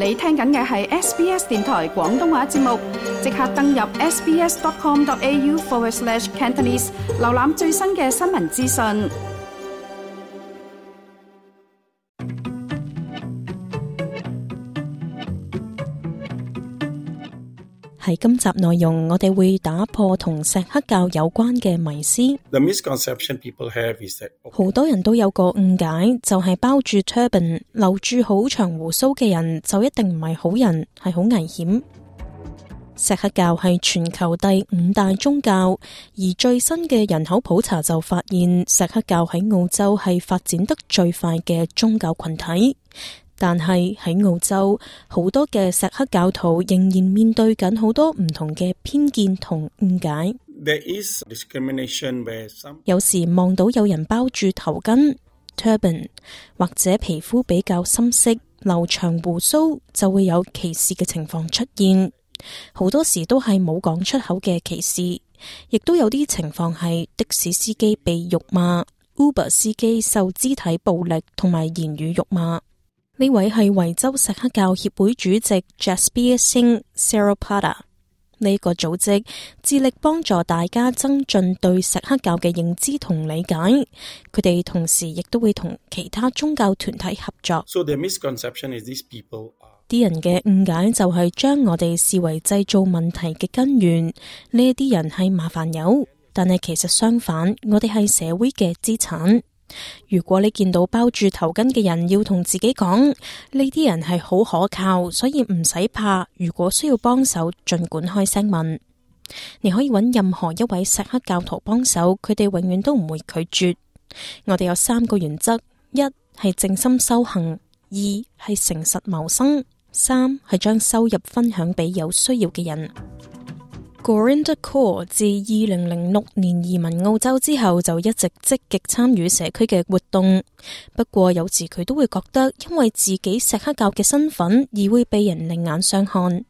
你聽緊嘅係 SBS 電台廣東話節目，即刻登入 sbs.com.au/Cantonese 瀏覽最新嘅新聞資訊。喺今集內容，我哋會打破同錫克教有關嘅迷思。好多人都有個誤解，就係包住 turban、留住好長鬍鬚嘅人就一定唔係好人，係好危險。錫克教係全球第5大宗教，而最新嘅人口普查就發現，錫克教喺澳洲係發展得最快嘅宗教群體。但係喺澳洲，好多嘅錫克教徒仍然面對緊好多唔同嘅偏見同誤解。有時望到有人包住頭巾 turban， 或者皮膚比較深色、留長鬍鬚，就會有歧視嘅情況出現。好多時都係冇講出口嘅歧視，亦都有啲情況係的士司機被辱罵、Uber 司機受肢體暴力同埋言語辱罵。呢位係維州錫克教協會主席 Jasbir Singh Seropada。呢個組織致力幫助大家增進對錫克教嘅認知同理解。佢哋同時亦都會同其他宗教團體合作。啲人嘅誤解就係將我哋視為製造問題嘅根源。呢啲人係麻煩友，但係其實相反，我哋係社會嘅資產。如果你見到包住頭巾嘅人，要同自己講，呢啲人係好可靠，所以唔使怕。如果需要幫手，盡管開聲問。你可以揾任何一位錫克教徒幫手，佢哋永遠都唔會拒絕。我哋有3個原則：一係靜心修行，二係誠實謀生，三係將收入分享俾有需要嘅人。Gurinder Kaur 自2006年移民澳洲之後，就一直積極參與社區嘅活動。不過有時佢都會覺得，因為自己錫克教嘅身份而會被人另眼相看。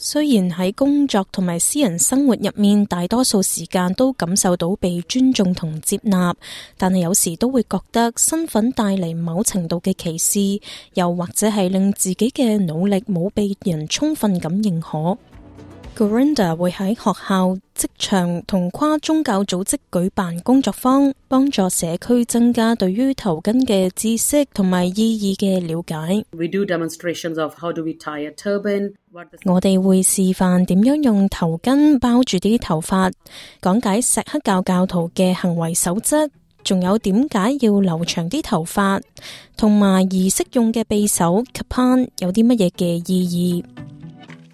雖然喺工作同埋私人生活入面，大多數時間都感受到被尊重同接納，但係有時都會覺得身份帶嚟某程度嘅歧視，又或者係令自己嘅努力冇被人充分咁認可。Gurinder 會喺學校、職場同跨宗教組織舉辦工作坊，幫助社區增加對於頭巾嘅知識同埋意義嘅了解。我哋會示範點樣用頭巾包住啲頭髮，講解錫克教教徒嘅行為守則，仲有點解要留長啲頭髮，同埋儀式用嘅匕首 Kapan 有啲乜嘢嘅意義。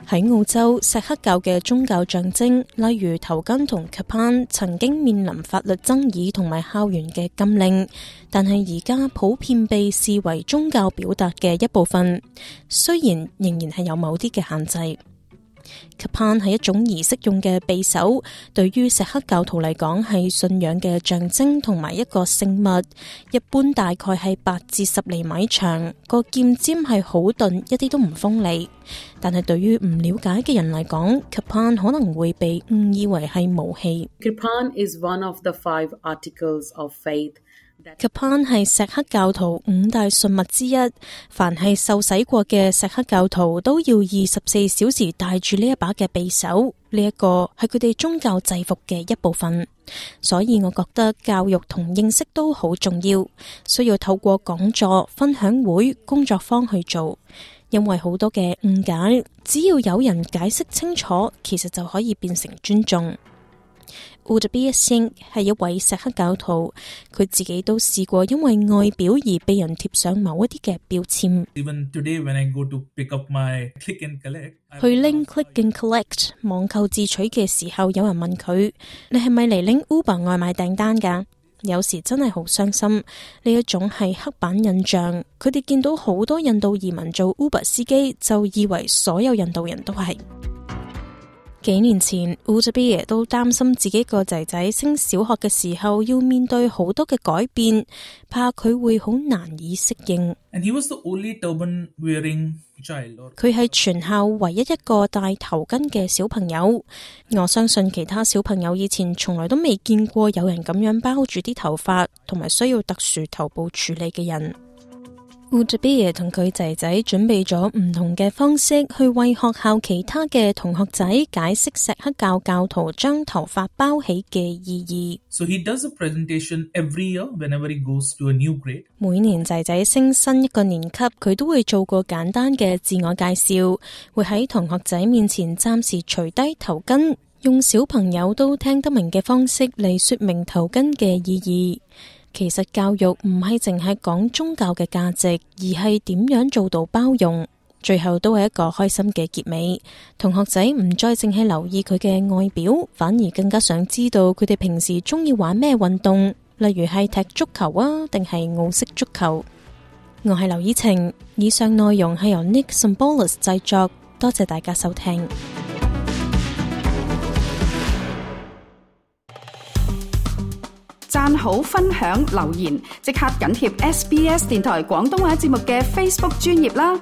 喺澳洲，錫克教嘅宗教象徵，例如頭巾同 Kapan 曾經面臨法律爭議同埋校園嘅禁令，但係而家普遍被視為宗教表達嘅一部分，雖然仍然係有某啲嘅限制。Kapan 係一種儀式用嘅匕首，對於錫克教徒嚟講係信仰嘅象徵同埋一個聖物，一般大概係8至10厘米長，個劍尖係好鈍，一啲都唔鋒利。但係對於唔了解嘅人嚟講， Kapan 可能會被誤以為係武器。Kapan is one of the 5 articles of faith。Kapan 係錫克教徒5大信物之一，凡係受洗過嘅錫克教徒都要24小時帶住呢一把嘅匕首，呢一個係佢哋宗教制服嘅一部分。所以我覺得教育同認識都好重要，需要透過講座、分享會、工作坊去做。因為好多嘅誤解，只要有人解釋清楚，其實就可以變成尊重。Jasbir Singh 係一位錫克教徒，佢自己都試過因為外表而被人貼上某一啲嘅標籤。去拎 Click and Collect 網購自取嘅時候，有人問佢：你係咪嚟拎 Uber 外賣訂單㗎？有時真係好傷心，呢一種係刻板印象。佢哋見到好多印度移民做 Uber 司機，就以為所有印度人都係。幾年前 Jasbir 都擔心自己個仔仔升小學嘅時候要面對好多嘅改變，怕佢會好難以適應。佢係全校唯一一個戴頭巾嘅小朋友。我相信其他小朋友以前從來都未見過有人咁樣包住啲頭髮，同埋需要特殊頭部處理嘅人。Udbir 同佢仔仔準備咗唔同嘅方式去為學校其他嘅同學仔解釋錫克教教徒將頭髮包起嘅意義。So he does a presentation every year whenever he goes to a new grade. 每年仔仔升新一個年級，佢都會做個簡單嘅自我介紹，會喺同學仔面前暫時除低頭巾，用小朋友都聽得明嘅方式嚟說明頭巾嘅意義。其實教育唔係淨係講宗教嘅價值，而係點樣做到包容。最後都係一個開心嘅結尾。同學仔唔再淨係留意佢嘅外表，反而更加想知道佢哋平時中意玩咩運動，例如係踢足球啊，定係澳式足球。我係劉以晴，以上內容係由 Nick Symbolis 製作，多謝大家收聽。讚好、分享、留言，即刻緊貼SBS 電台廣東話節目嘅 Facebook 專頁啦！